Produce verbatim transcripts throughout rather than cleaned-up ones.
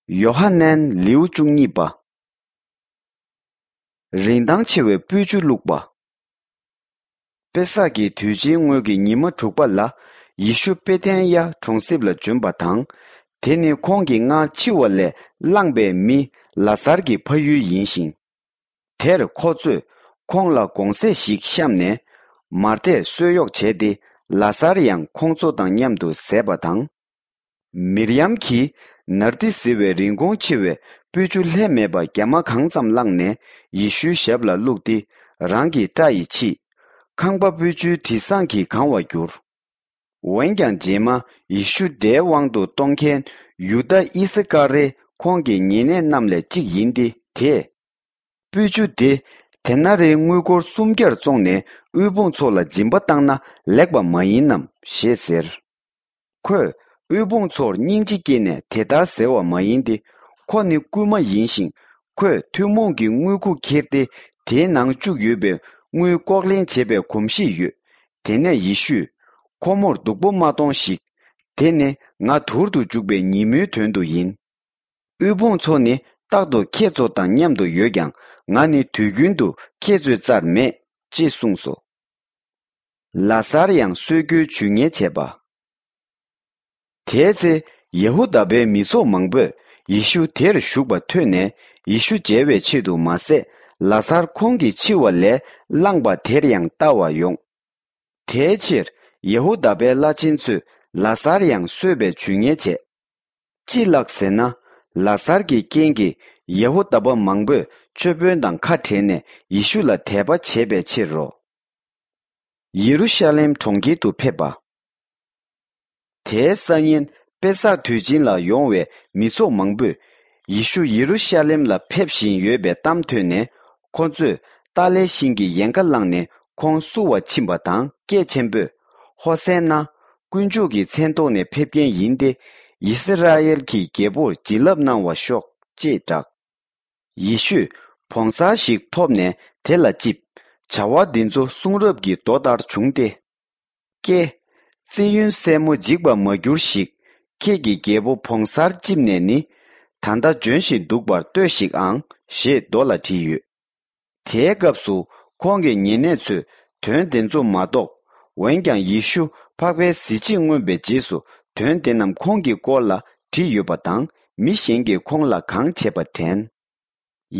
ཡོ་ཧ་ནན་ལེའུ་བཅུ་གཉིས་པ། རིན་ཐང་ཆེ་བའི་སྤོས་ཆུ་བླུགས་པ། པེ་སག་གི་དུས་ཆེན་སྔོན་གྱི་ཉི་མ་དྲུག་པ་ལ། ཡེ་ཤུ་པེ་ཐན་ཡ་གྲོང་གསེབ་ལ་བྱོན་པ་དང་། དེ་ནི་ཁོང་གིས་སྔར་འཆི་བ་ལས་བླངས་པའི་མི་ལ་ཟར་གྱི་ཕ་ཡུལ་ཡིན་ཞིང་། དེར་ཁོ་ཚོས་ཁོང་ལ་དགོང་ཟས་ཤིག་བཤམས་ནས། མར་ཐས་གསོལ་གཡོག་བྱས་ཏེ། ལ་ཟར་ཡང་ཁོང་ཚོ་དང་མཉམ་དུ་བཟས་པ་དང་། མིར་ཡམ་གྱིས་ནར་ཏི་ཟེར་བའི་རིན་གོང་ཆེ་བའི་སྤོས་ཆུ་ལྷད་མེད་པ་རྒྱ་མ་གང་ཙམ་བླངས་ནས། ཡེ་ཤུའི་ཞབས་ལ་བླུགས་ཏེ། རང་གི་སྐྲ་ཡིས་ཕྱིས། ཁང་པ་སྤོས་ཆུའི་དྲི་བཟང་གིས་གང་བར་གྱུར། འོན་ཀྱང་རྗེས་མ་ཡེ་ཤུ་དགྲའི་དབང་དུ་གཏོང་མཁན་ཡུ་དཱ་ཨི་སི་ཀ་རེ་ཁོང་གི་ཉེ་གནས་རྣམས་ལས་གཅིག་ཡིན་ཏེ། དེས། སྤོས་ཆུ་དེ་དེ་ན་རེའི་དངུལ་སྒོར་སུམ་བརྒྱར་བཙོངས་ནས། དབུལ་ཕོངས་ཚོ་ལ་སྦྱིན་པ་བཏང་ན་ལེགས་པ་མ་ཡིན་ནམ་ཞེས་ཟེར། ཁོས་དབུལ་ཕོངས་ཚོར་སྙིང་རྗེ་སྐྱེས་ནས་དེ་ལྟར་ཟེར་བ་མ་ཡིན་ཏེ། ཁོ་ནི་རྐུན་མ་ཡིན་ཞིང་། ཁོས་ཐུན་མོང་གི་དངུལ་ཁུག་ཁྱེར་ཏེ། དེའི་ནང་བཅུག་ཡོད་པའི་དངུལ་ལྐོག་ལེན་བྱེད་པའི་གོམས་གཤིས་ཡོད། དེ་ནས་ཡེ་ཤུས། ཁོ་མོར་སྡུག་པོ་མ་གཏོང་ཞིག། དེ་ནི་ང་དུར་དུ་འཇུག་པའི་ཉིན་མོའི་དོན་དུ་ཡིན། དབུལ་ཕོངས་ཚོ་ནི་རྟག་ཏུ་ཁྱེད་ཚོ་དང་མཉམ་དུ་ཡོད་ཀྱང་། ང་ནི་དུས་རྒྱུན་དུ་ཁྱེད་ཚོའི་རྩར་མེད། ཅེས་གསུངས་སོ། ལ་ཟར་ཡང་གསོད་རྒྱུའི་ཇུས་ངན་བྱས་པ། དེའི་ཚེ། ཡ་ཧུ་དཱ་པའི་མི་ཚོགས་མང་པོས་ཡེ་ཤུ་དེར་བཞུགས་པ་ཐོས་ནས། ཡེ་ཤུ་མཇལ་བའི་ཆེད་དུ་མ་ཟད། ལ་ཟར་ཁོང་གི་འཆི་བ་ལས་བླངས་པ་དེར་ཡང་ལྟ་བར་ཡོང་། དེའི་ཕྱིར། ཡ་ཧུ་དཱ་པའི་བླ་ཆེན་ཚོས་ལ་ཟར་ཡང་གསོད་པའི་ཇུས་ངན་བྱས། ཅི་ལགས་ཟེར་ན། ལ་ཟར་གྱི་རྐྱེན་གྱིས་ཡ་ཧུ་དཱ་པ་མང་པོས་ཆོས་དཔོན་དང་ཁ་བྲལ་ནས། ཡེ་ཤུ་ལ་དད་པ་བྱས་པའི་ཕྱིར་རོ། ཡེ་རུ་ཤ་ལེམ་གྲོང་ཁྱེར་དུ་ཕེབས་པ། དེའི་སང་ཉིན། པེ་སག་དུས་ཆེན་ལ་ཡོང་བའི་མི་ཚོགས་མང་པོས། ཡེ་ཤུ་ཡེ་རུ་ཤ་ལེམ་ལ་ཕེབས་བཞིན་ཡོད་པའི་གཏམ་ཐོས་ནས། ཁོ་ཚོས་ཏཱ་ལའི་ཤིང་གི་ཡལ་ག་བླངས་ནས་ཁོང་བསུ་བར་ཕྱིན་པ་དང་། སྐད་ཆེན་པོས། ཧོ་སན་ན། དཀོན་མཆོག་གི་མཚན་ཐོག་ནས་ཕེབས་མཁན་ཡིན་ཏེ། ཡི་སི་ར་ཨེལ་གྱི་རྒྱལ་པོར་བྱིན་རླབས་གནང་བར་ཤོག། ཅེས་གྲགས། ཡེ་ཤུས་བོང་གསར་ཞིག་ཐོབ་ནས་དེ་ལ་བཅིབས། བྱ་བ་འདི་ཚོ་གསུང་རབ་ཀྱི་མདོ་ལྟར་བྱུང་སྟེ། ཀྱེ། ཙི་ཡོན་སྲས་མོ་འཇིགས་པར་མ་གྱུར་ཞིག། ཁྱེད་ཀྱི་རྒྱལ་པོ་བོང་གསར་བཅིབས་ནས་ནི། ད་ལྟ་བྱོན་བཞིན་འདུག་པར་ལྟོས་ཤིག་ཨང་། ཞེས་མདོ་ལ་བྲིས་ཡོད། དེའི་སྐབས་སུ་ཁོང་གི་ཉེ་གནས་ཚོས་དོན་དེ་ཚོ་མ་རྟོགས། འོན་ཀྱང་ཡེ་ཤུ་འཕགས་པའི་གཟི་བརྗིད་མངོན་པའི་རྗེས་སུ། དོན་དེ་རྣམས་ཁོང་གི་སྐོར་ལ་བྲིས་ཡོད་པ་དང་། མི་གཞན་གྱིས་ཁོང་ལ་གང་བྱས་པ་དྲན།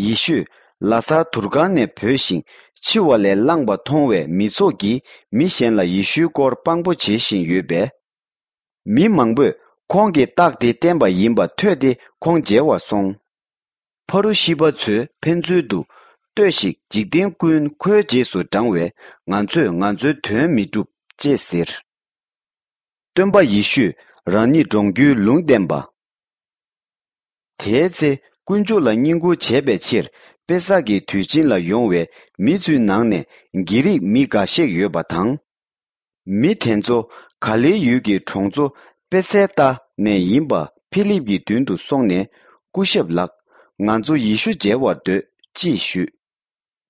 ཡེ་ཤུས་ལ་ཟར་དུར་ཁང་ནས་བོས་ཤིང་འཆི་བ་ལས་བླངས་པ་མཐོང་བས། མི་ཚོགས་ཀྱིས་མི་གཞན་ལ་ཡེ་ཤུའི་སྐོར་དཔང་པོ་བྱེད་བཞིན་ཡོད་པས། མི་མང་པོས་ཁོང་གིས་རྟགས་དེ་བསྟན་པ་ཡིན་པ་ཐོས་ཏེ། ཁོང་མཇལ་བར་སོང་། ཕ་རུ་ཤི་པ་ཚོས་ཕན་ཚུན་དུ། ལྟོས་ཤིག། འཇིག་རྟེན་ཀུན་ཁོའི་རྗེས་སུ་འབྲང་བས། ང་ཚོས་ང་ཚོའི་དོན་མི་འགྲུབ། ཅེས་ཟེར། སྟོན་པ་ཡེ་ཤུས་རང་ཉིད་འབྲོང་རྒྱུའི་ལུང་བསྟན་པ། དེའི་ཚེ། དཀོན་མཆོག་ལ་བསྙེན་བཀུར་བྱེད་པའི་ཕྱིར། པེ་སག་གི་དུས་ཆེན་ལ་ཡོང་བའི་མི་ཚོའི་ནང་ནས་གྷི་རིག་མི་འགའ་ཤས་ཡོད་པ་དང་། མི་དེ་ཚོ་ག་ལིལ་ཡུལ་གྱི་གྲོང་ཚོ་པེ་སེ་ཏཱ་ནས་ཡིན་པ་ཕི་ལིབ་ཀྱི་མདུན་དུ་སོང་ནས། སྐུ་ཞབས་ལགས། ང་ཚོ་ཡེ་ཤུ་མཇལ་བར་འདོད། ཅེས་ཞུས།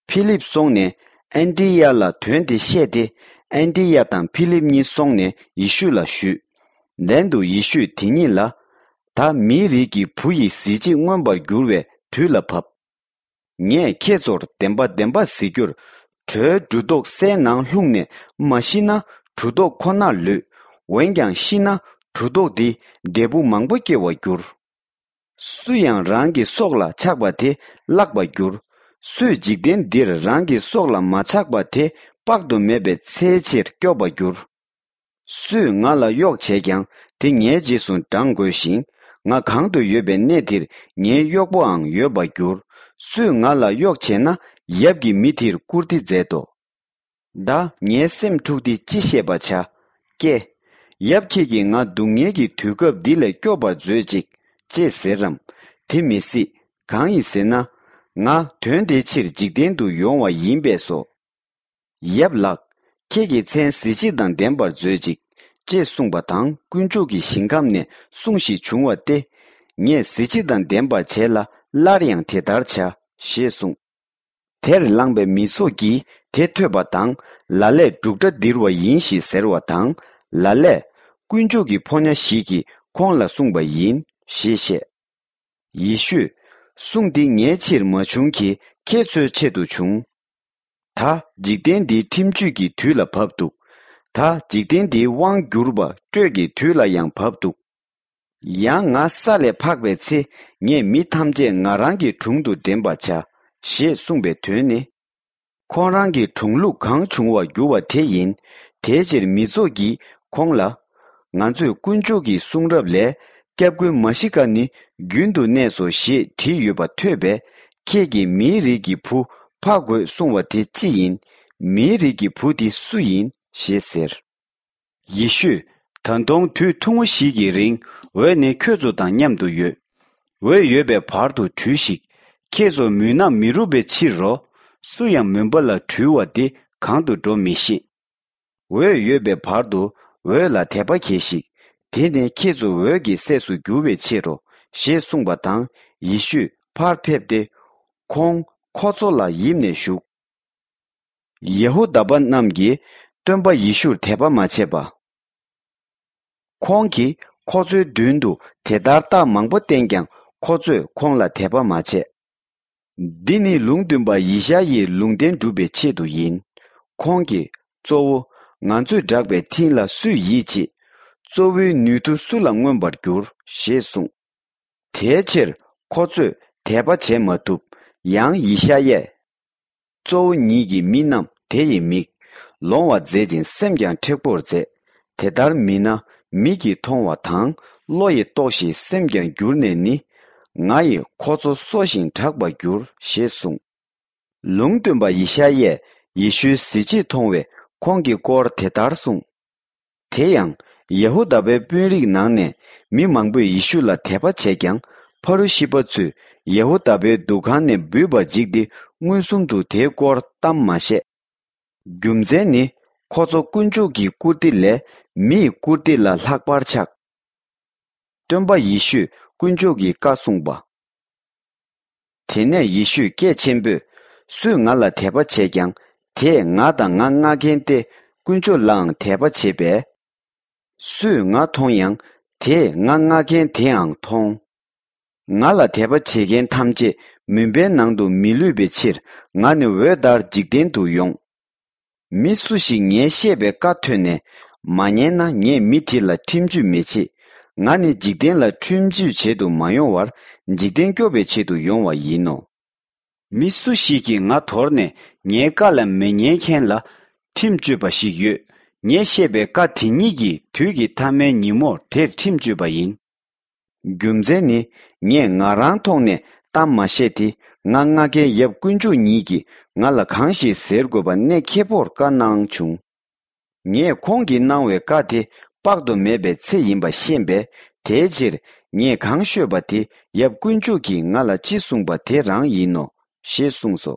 ཕི་ལིབ་སོང་ནས་ཨན་ཏི་ཡ་ལ་དོན་དེ་བཤད་དེ། ཨན་ཏི་ཡ་དང་ཕི་ལིབ་གཉིས་སོང་ནས་ཡེ་ཤུ་ལ་ཞུས། ལན་དུ་ཡེ་ཤུས་དེ་གཉིས་ལ། ད་མིའི་རིགས་ཀྱི་བུ་ཡི་གཟི་བརྗིད་མངོན་པར་འགྱུར་བའི་དུས་ལ་བབ། ངས་ཁྱེད་ཚོར་བདེན་པ་བདེན་པ་ཟེར་རྒྱུར། གྲོའི་གྲུ་ཐོག་སའི་ནང་ལྷུང་ནས་མ་ཤི་ན། གྲུ་ཐོག་ཁོ་ནར་ལུས། འོན་ཀྱང་ཤི་ན། གྲུ་ཐོག་འདི་འབྲས་བུ་མང་པོ་སྐྱེ་བར་འགྱུར། སུ་ཡང་རང་གི་སྲོག་ལ་ཆགས་པ་དེ་བརླག་པར་འགྱུར། སུས་འཇིག་རྟེན་འདིར་རང་གི་སྲོག་ལ་མ་ཆགས་པ་དེ་དཔག་ཏུ་མེད་པའི་ཚེའི་ཕྱིར་སྐྱོབ་པར་འགྱུར། སུས་ང་ལ་གཡོག་བྱས་ཀྱང་དེ་ངའི་རྗེས་སུ་འབྲང་དགོས་ཤིང་། ང་གང་དུ་ཡོད་པའི་གནས་དེར་ངའི་གཡོག་པོའང་ཡོད་པར་འགྱུར། སུས་ང་ལ་གཡོག་བྱས་ན་ཡབ་ཀྱིས་མི་དེར་བཀུར་སྟི་མཛད་དོ། ད་ངའི་སེམས་འཁྲུགས་ཏེ་ཅི་བཤད་པར་བྱ། ཀྱེ། ཡབ་ཁྱེད་ཀྱིས་ང་སྡུག་བསྔལ་གྱི་དུས་སྐབས་འདི་ལས་སྐྱོབ་པར་མཛོད་ཅིག། ཅེས་ཟེར་རམ། དེ་མི་སྲིད། གང་ཡིན་ཟེར་ན། ང་དོན་དེའི་ཕྱིར་འཇིག་རྟེན་དུ་ཡོང་བ་ཡིན་པས་སོ། ཡབ་ལགས། ཁྱེད་ཀྱི་མཚན་གཟི་བརྗིད་དང་ལྡན་པར་མཛོད་ཅིག། ཅེས་གསུངས་པ་དང་། དཀོན་མཆོག་གི་ཞིང་ཁམས་ནས་གསུང་ཞིག་བྱུང་བ་སྟེ། ངས་གཟི་བརྗིད་དང་ལྡན་པར་བྱས་ལ། སླར་ཡང་དེ་ལྟར་བྱ། ཞེས་གསུངས། དེར་ལངས་པའི་མི་ཚོགས་ཀྱིས་དེ་ཐོས་པ་དང་། ལ་ལས་འབྲུག་སྒྲ་ལྡིར་བ་ཡིན་ཞེས་ཟེར་བ་དང་། ལ་ལས། དཀོན་མཆོག་གི་ཕོ་ཉ་ཞིག་གིས་ཁོང་ལ་གསུངས་པ་ཡིན། ཞེས་བཤད། ཡེ་ཤུས། གསུང་འདི་ངའི་ཕྱིར་མ་བྱུང་གི་ཁྱེད་ཚོའི་ཆེད་དུ་བྱུང་། ད་འཇིག་རྟེན་འདི་ཁྲིམས་གཅོད་ཀྱི་དུས་ལ་བབ་འདུག་ད་འཇིག་རྟེན་འདིའི་དབང་བསྒྱུར་བ་སྤྲོད་ཀྱི་དུས་ལ་ཡང་བབ་འདུག་ཡང་ང་ས་ལས་འཕགས་པའི་ཚེ་ངས་མི་ཐམས་ཅད་ང་རང་གི་དྲུང་དུ་འདྲེན་པར་བྱ། ཞེས་གསུངས་པའི་དོན་ནི། ཁོང་རང་གི་དྲུང་ལུགས་གང་བྱུང་བར་འགྱུར་བ་དེ་ཡིན། དེའི་ཕྱིར་མི་ཚོགས་ཀྱིས་ཁོང་ལ། ང་ཚོས་དཀོན་མཆོག་གི་གསུང་རབ་ལས། སྐྱབས་མགོན་མཱ་ཤི་ཀ་ནི་རྒྱུན་དུ་གནས་སོ་ཞེས་བྲིས་ཡོད་པ་ཐོས་པས། ཁྱེད་ཀྱིས་མིའི་རིགས་ཀྱི་བུ་འཕགས་དགོས་གསུང་བ་དེ་ཅི་ཡིན། མིའི་རིགས་ཀྱི་བུ་དེ་སུ་ཡིན། ཞེས་ཟེར། ཡེ་ཤུས། ད་དུང་དུས་ཐུང་ངུ་ཞིག་གི་རིང་འོད་ནི་ཁྱོད་ཚོ་དང་མཉམ་དུ་ཡོད། འོད་ཡོད་པའི་བར་དུ་བྲོས་ཤིག་ཁྱེད་ཚོ་མུན་ནག་མི་རུབ་པའི་ཕྱིར་རོ། སུ་ཡང་མུན་པ་ལ་བྲོས་པ་དེ་གང་དུ་འགྲོ་མི་ཤེས། འོད་ཡོད་པའི་བར་དུ་འོད་ལ་དད་པ་གྱིས་ཤིག་དེ་ནི་ཁྱེད་ཚོ་འོད་ཀྱི་སྲས་སུ་འགྱུར་བའི་ཕྱིར་རོ། ཞེས་གསུངས་པ་དང་ཡེ་ཤུས་ཕར་ཕེབས་ཏེ། ཁོང་ཁོ་ཚོ་ལ་ཡིབ་ནས་བཞུགས། ཡ་ཧུ་དཱ་པ་རྣམས་ཀྱིས་སྟོན་པ་ཡེ་ཤུར་དད་པ་མ་བྱས་པ། ཁོང་གིས་ཁོ་ཚོའི་མདུན་དུ་དེ་ལྟར་རྟགས་མང་པོ་བསྟན་ཀྱང་ཁོ་ཚོས་ཁོང་ལ་དད་པ་མ་བྱས། འདི་ནི་ལུང་སྟོན་པ་ཡེ་ཤ་ཡའི་ལུང་བསྟན་སྒྲུབ་པའི་ཆེད་དུ་ཡིན། ཁོང་གིས། གཙོ་བོ། ང་ཚོས་བསྒྲགས་པའི་འཕྲིན་ལ་སུས་ཡིད་ཆེས། གཙོ་བོའི་ནུས་མཐུ་སུ་ལ་མངོན་པར་འགྱུར། ཞེས་གསུངས། དེའི་ཕྱིར་ཁོ་ཚོས་དད་པ་བྱེད་མ་ཐུབ། ཡང་ཡེ་ཤ་ཡས། གཙོ་བོ་ཉིད་ཀྱི་མི་རྣམས་དེ་ཡི་མིག་ལོང་བར་མཛད་ཅིང་སེམས་ཀྱང་མཁྲེགས་པོར་མཛད། དེ་ལྟར་མིན་ན་མིག་གིས་མཐོང་བ་དང་བློ་ཡིས་རྟོགས་ཤིང་སེམས་ཀྱང་འགྱུར་ནས་ནི། ང་ཡིས་ཁོ་ཚོ་གསོ་ཞིང་དྲག་པར་འགྱུར། ཞེས་གསུངས། ལུང་སྟོན་པ་ཡེ་ཤ་ཡས་ཡེ་ཤུའི་གཟི་བརྗིད་མཐོང་བས་ཁོང་གི་སྐོར་དེ་ལྟར་གསུངས། དེ་ཡང་། ཡ་ཧུ་དཱ་པའི་དཔོན་རིགས་ནང་ནས་མི་མང་པོས་ཡེ་ཤུ་ལ་དད་པ་བྱས་ཀྱང་ཕ་རུ་ཤི་པ་ཚོས་ཡ་ཧུ་དཱ་པའི་འདུ་ཁང་ནས་འབུད་པར་འཇིགས་ཏེ་མངོན་སུམ་དུ་དེའི་སྐོར་གཏམ་མ་བཤད། རྒྱུ་མཚན་ནི་ཁོ་ཚོ་དཀོན་མཆོག་གི་བཀུར་སྟི་ལས་མིའི་བཀུར་སྟི་ལ་ལྷག་པར་ཆགས། སྟོན་པ་ཡེ་ཤུས་དཀོན་མཆོག་གི་བཀའ་གསུངས་པ། དེ་ནས་ཡེ་ཤུས་སྐད་ཆེན་པོས། སུས་ང་ལ་དད་པ་བྱས་ཀྱང་དེས་ང་དང་ང་མངགས་མཁན་ཏེ་དཀོན་མཆོག་ལའང་དད་པ་བྱེད་པས། སུས་ང་མཐོང་ཡང་དེས་ང་མངགས་མཁན་དེའང་མཐོང་། ང་ལ་དད་པ་བྱེད་མཁན་ཐམས་ཅད་མུན་པའི་ནང་དུ་མི་ལུས་པའི་ཕྱིར་ང་ནི་འོད་ལྟར་འཇིག་རྟེན་དུ་ཡོང་། མི་སུ་ཞིག་ངས་བཤད་པའི་བཀའ་ཐོས་ནས་མ་ཉན་ན་ངས་མི་དེ་ལ་ཁྲིམས་གཅོད་མི་བྱེད། ང་ནི་འཇིག་རྟེན་ལ་ཁྲིམས་གཅོད་བྱེད་དུ་མ་ཡོང་བར་འཇིག་རྟེན་སྐྱོབ་པའི་ཆེད་དུ་ཡོང་བ་ཡིན་ནོ། མི་སུ་ཞིག་གིས་ང་དོར་ནས་ངའི་བཀའ་ལ་མི་ཉན་མཁན་ལ་ཁྲིམས་གཅོད་པ་ཞིག་ཡོད། ངས་བཤད་པའི་བཀའ་དེ་ཉིད་ཀྱིས་དུས་ཀྱི་མཐའ་མའི་ཉིན་མོར་དེར་ཁྲིམས་གཅོད་པ་ཡིན། རྒྱུ་མཚན་ནི་ངས་ང་རང་ཐོག་ནས་གཏམ་མ་བཤད་དེ་ང་མངགས་མཁན་ཡབ་དཀོན་མཆོག་ཉིད་ཀྱིས་ང་ལ་གང་ཞིག་ཟེར་དགོས་པ་གནད་ཁེལ་པོར་བཀའ་གནང་བྱུང་། ངས་ཁོང་གིས་གནང་བའི་བཀའ་དེ་དཔག་ཏུ་མེད་པའི་ཚེ་ཡིན་པ་ཤེས་པས། དེའི་ཕྱིར་ངས་གང་ཤོད་པ་དེ་ཡབ་དཀོན་མཆོག་གིས་ང་ལ་ཅི་གསུངས་པ་དེ་རང་ཡིན་ནོ། ཞེས་གསུངས་སོ།